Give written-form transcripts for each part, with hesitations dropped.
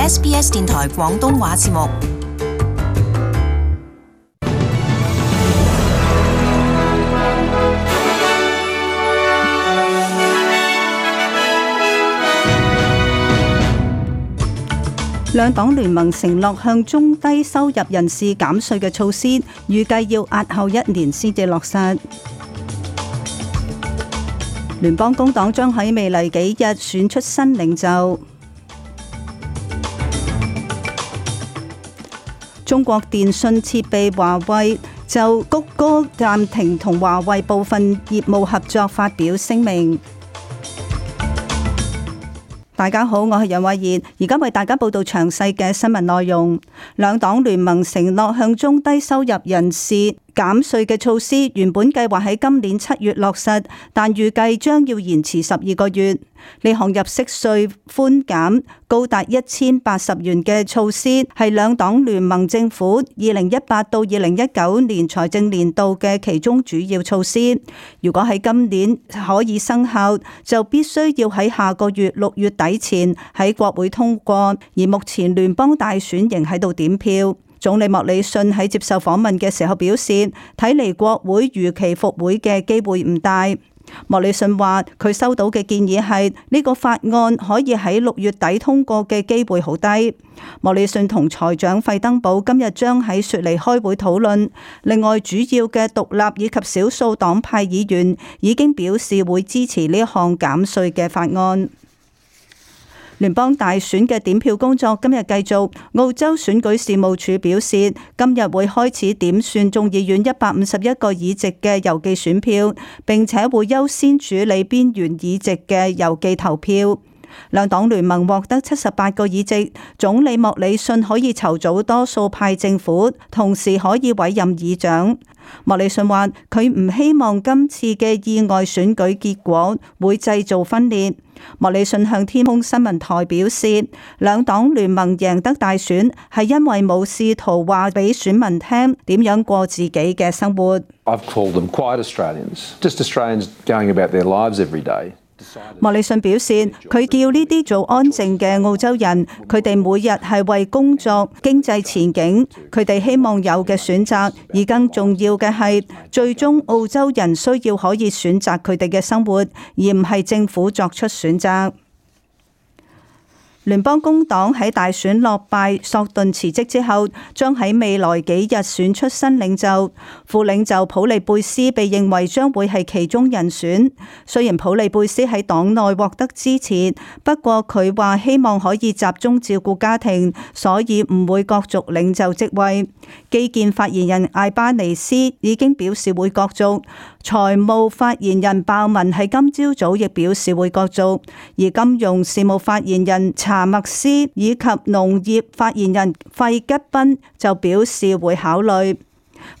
SBS 電台廣東話節目。兩黨聯盟承諾向中低收入人士減稅嘅措施，預計要押後1年先至落實。聯邦工黨將喺未來幾日選出新領袖。中國電信設備華為就谷歌暫停同華為部分業務合作發表聲明。大家好，我係楊慧嫻，而家為大家報道詳細嘅新聞內容。兩黨聯盟承諾向中低收入人士減稅嘅措施，原本計劃喺今年7月落實，但預計將要延遲12個月。呢項入息稅寬減高達1080元嘅措施，係兩黨聯盟政府2018到2019年財政年度嘅其中主要措施。如果喺今年可以生效，就必須要喺下個月6月底前喺國會通過。而目前聯邦大選仍喺度點票。總理莫里遜喺接受訪問嘅時候表示，睇嚟國會如期復會嘅機會唔大。莫里遜話佢收到嘅建議係呢個法案可以喺6月底通過嘅機會好低。莫里遜同財長費登堡今日將喺雪梨開會討論。另外，主要嘅獨立以及少數黨派議員已經表示會支持呢項減稅嘅法案。聯邦大選嘅點票工作今日繼續。澳洲選舉事務處表示，今日會開始點算眾議院151個議席嘅郵寄選票，並且會優先處理邊緣議席嘅郵寄投票。兩黨聯盟獲得78個議席，總理莫里遜可以籌組多數派政府，同時可以委任議長。莫里遜話佢唔希望今次嘅意外選舉結果會製造分裂。莫里遜向天空新聞台表示，兩黨聯盟贏得大選係因為冇試圖話俾選民聽點樣過自己嘅生活。I've called them quiet Australians, just Australians going about their lives every day. 莫里遜表示，佢叫呢啲做安靜嘅澳洲人，佢哋每日係為工作、經濟前景，佢哋希望有嘅選擇，而更重要嘅係，最終澳洲人需要可以選擇佢哋嘅生活，而唔係政府作出選擇。聯邦工黨喺大選落敗，索頓辭職之後，將喺未來幾日選出新領袖。副領袖普利貝斯被認為將會係其中人選。雖然普利貝斯喺黨內獲得支持，不過佢話希望可以集中照顧家庭，所以唔會角逐領袖職位。基建發言人艾巴尼斯已經表示會角逐。財務發言人鮑文喺今朝早亦表示會角逐，而金融事務發言人查默斯以及農業發言人費吉賓就表示會考慮。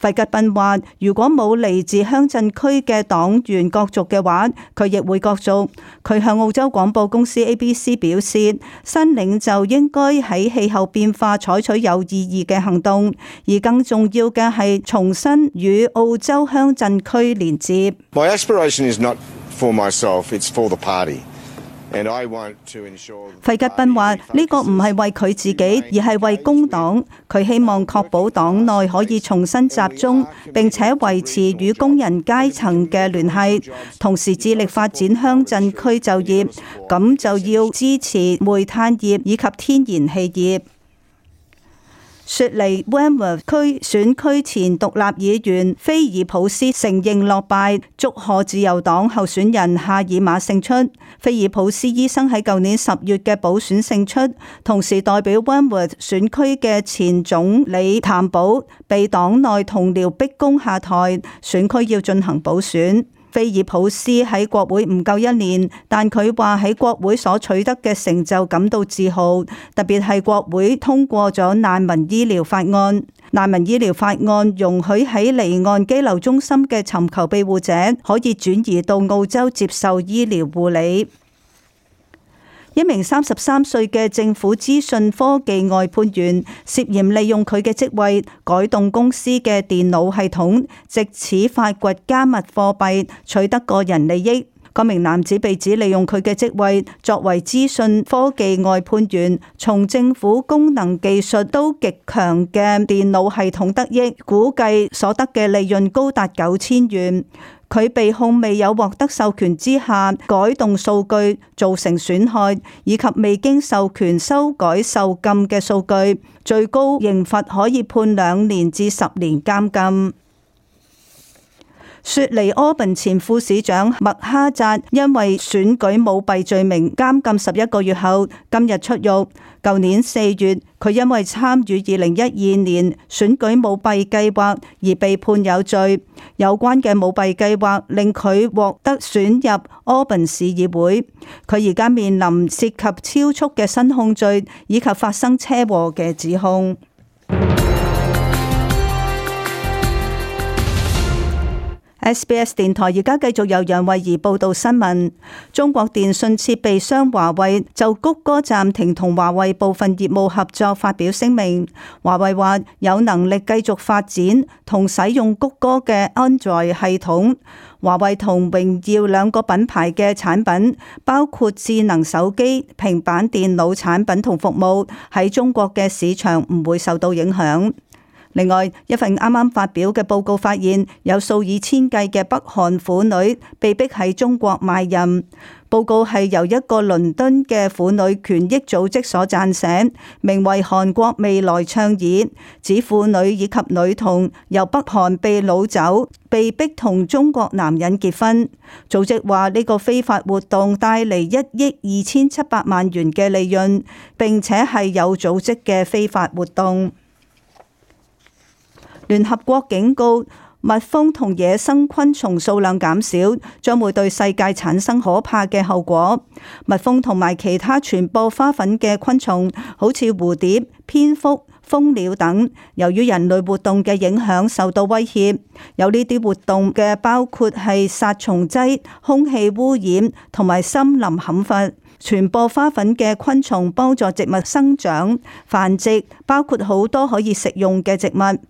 費吉賓話：如果冇嚟自鄉鎮區嘅黨員角逐嘅話，佢亦會角逐。佢向澳洲廣播公司 ABC 表示，新領袖應該喺氣候變化採取有意義嘅行動，而更重要嘅係重新與澳洲鄉鎮區連接。My aspiration is not for myself, it's for the party. 費吉賓話：呢個唔係為佢自己，而係為工黨。佢希望確保黨內可以重新集中，並且維持與工人階層嘅聯繫，同時致力發展鄉鎮區就業。咁就要支持煤炭業以及天然氣業。雪梨 Wentworth 區選區前獨立議員菲爾普斯承認落敗，祝賀自由黨候選人夏爾馬勝出。菲爾普斯醫生喺舊年10月嘅補選勝出，同時代表 Wentworth 選區嘅前總理譚寶被黨內同僚逼宮下台，選區要進行補選。菲爾普斯喺國會唔夠1年，但佢話喺國會所取得嘅成就感到自豪，特別係國會通過咗難民醫療法案。難民醫療法案容許喺離岸羈留中心嘅尋求庇護者可以轉移到澳洲接受醫療護理。一名33歲嘅政府資訊科技外判員涉嫌利用佢嘅職位改動公司嘅電腦系統，藉此發掘加密貨幣，取得個人利益。該名男子被指利用佢嘅職位作為資訊科技外判員，從政府功能技術都極強嘅電腦系統得益，估計所得嘅利潤高達9000元。佢被控未有獲得授權之下改動數據造成損害，以及未經授權修改受禁嘅數據，最高刑罰可以判2年至10年監禁。雪梨柯賓前副市長麥哈扎因為選舉舞弊罪名監禁11個月後，今日出獄。舊年4月，佢因為參與2012年選舉舞弊計劃而被判有罪。有關嘅舞弊計劃令佢獲得選入柯賓市議會。佢而家面臨涉及超速嘅新控罪以及發生車禍嘅指控。SBS 電台而家繼續由楊慧儀報道新聞。中國電信設備商華為就谷歌暫停同華為部分業務合作發表聲明。華為話有能力繼續發展同使用谷歌嘅 Android 系統。華為同榮耀兩個品牌嘅產品，包括智能手機、平板電腦產品同服務，喺中國嘅市場唔會受到影響。另外，一份啱啱發表嘅報告發現，有數以千計嘅北韓婦女被逼喺中國賣淫。報告係由一個倫敦嘅婦女權益組織所撰寫，名為《韓國未來倡議》，指婦女以及女童由北韓被擄走，被逼同中國男人結婚。組織話呢個非法活動帶嚟1億2700萬元嘅利潤，並且係有組織嘅非法活動。聯合國警告，蜜蜂同野生昆蟲數量減少，將會對世界產生可怕嘅後果。蜜蜂同埋其他傳播花粉嘅昆蟲，好似蝴蝶、蝙蝠、蜂鳥等，由於人類活動嘅影響受到威脅。有呢啲活動嘅包括係殺蟲劑、空氣污染同埋森林砍伐。傳播花粉嘅昆蟲幫助植物生長、繁殖，包括好多可以食用嘅植物。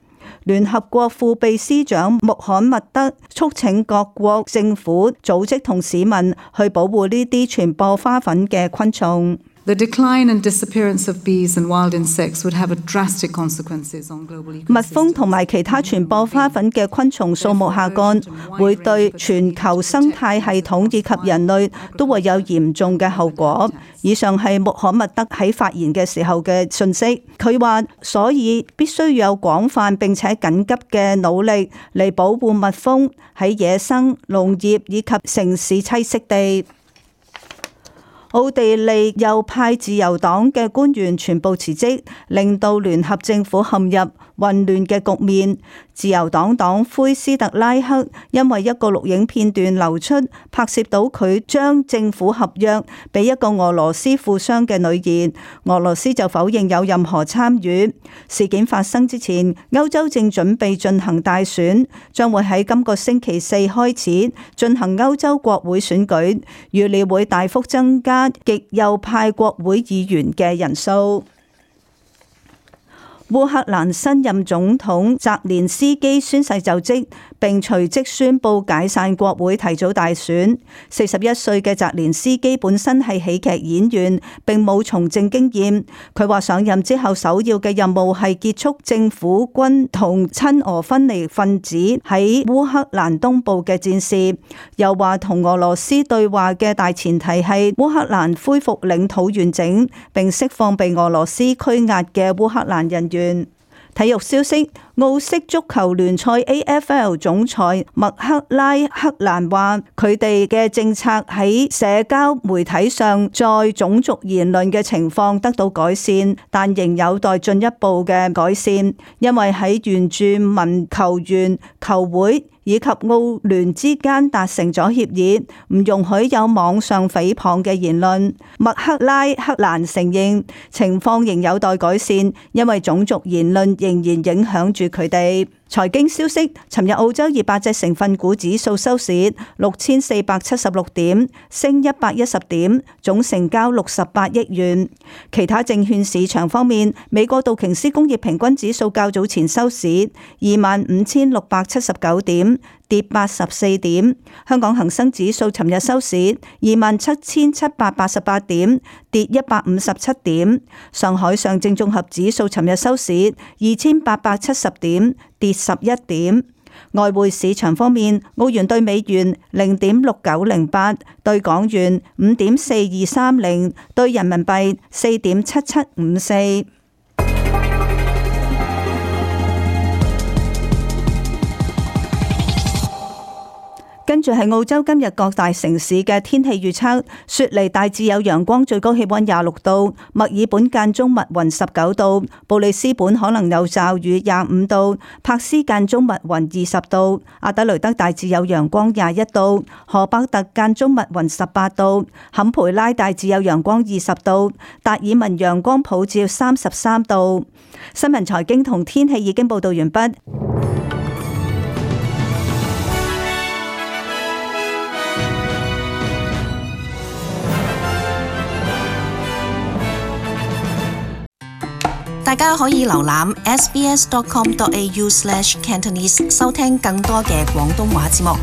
聯合國副秘書長穆罕默德促請各國政府、組織同市民去保護呢啲傳播花粉嘅昆蟲。The decline and disappearance of bees and wild insects would have a drastic consequences on global ecosystems. 蜜蜂同埋其他傳播花粉嘅昆蟲數目下降，會對全球生態系統以及人類都會有嚴重嘅後果。以上係穆罕默德喺發言嘅時候嘅訊息。佢話，所以必須有廣泛並且緊急嘅努力嚟保護蜜蜂喺野生、農業以及城市棲息地。奧地利右派自由黨嘅官員全部辭職，令到聯合政府陷入混亂嘅局面。自由黨黨魁斯特拉克因為一個錄影片段流出，拍攝到佢將政府合約俾一個俄羅斯富商嘅女兒，俄羅斯就否認有任何參與。事件發生之前，歐洲正準備進行大選，將會喺今個星期4開始進行歐洲國會選舉，預料會大幅增加極右派國會議員嘅人數。烏克蘭新任總統澤連斯基宣誓就職，並隨即宣布解散國會，提早大選。41歲嘅澤連斯基本身係喜劇演員，並冇從政經驗。佢話上任之後首要嘅任務係結束政府軍同親俄分離分子喺烏克蘭東部嘅戰事，又話同俄羅斯對話嘅大前提係烏克蘭恢復領土完整，並釋放被俄羅斯拘押嘅烏克蘭人員。體育消息，澳式足球聯賽 AFL 總裁麥克拉克蘭話，佢哋嘅政策喺社交媒體上在種族言論嘅情況得到改善，但仍有待進一步嘅改善，因為喺原住民球員、球會以及澳聯之間達成咗協議，唔容許有網上誹謗嘅言論。麥克拉克蘭承認情況仍有待改善，因為種族言論仍然影響住佢哋。財經消息，尋日澳洲200隻成分股指數收市6476點，升110點，總成交68億元。其他證券市場方面，美國道瓊斯工業平均指數較早前收市25679點，跌84點。香港恒生指數尋日收市27,788點，跌157點。上海上證綜合指數尋日收市2,870點，跌11點。外匯市場方面，澳元兌美元0.6908，兌港元5.4230，兌人民幣4.7754。跟住係澳洲今日各大城市嘅天氣預測：雪梨大致有陽光，最高氣溫26度；墨爾本間中密雲19度；布里斯本可能有驟雨25度；柏斯間中密雲20度；阿德雷德大致有陽光21度；荷伯特間中密雲18度；坎培拉大致有陽光20度；達爾文陽光普照33度。新聞財經同天氣已經報道完畢。大家可以瀏覽 sbs.com.au/cantonese 收聽更多嘅廣東話節目。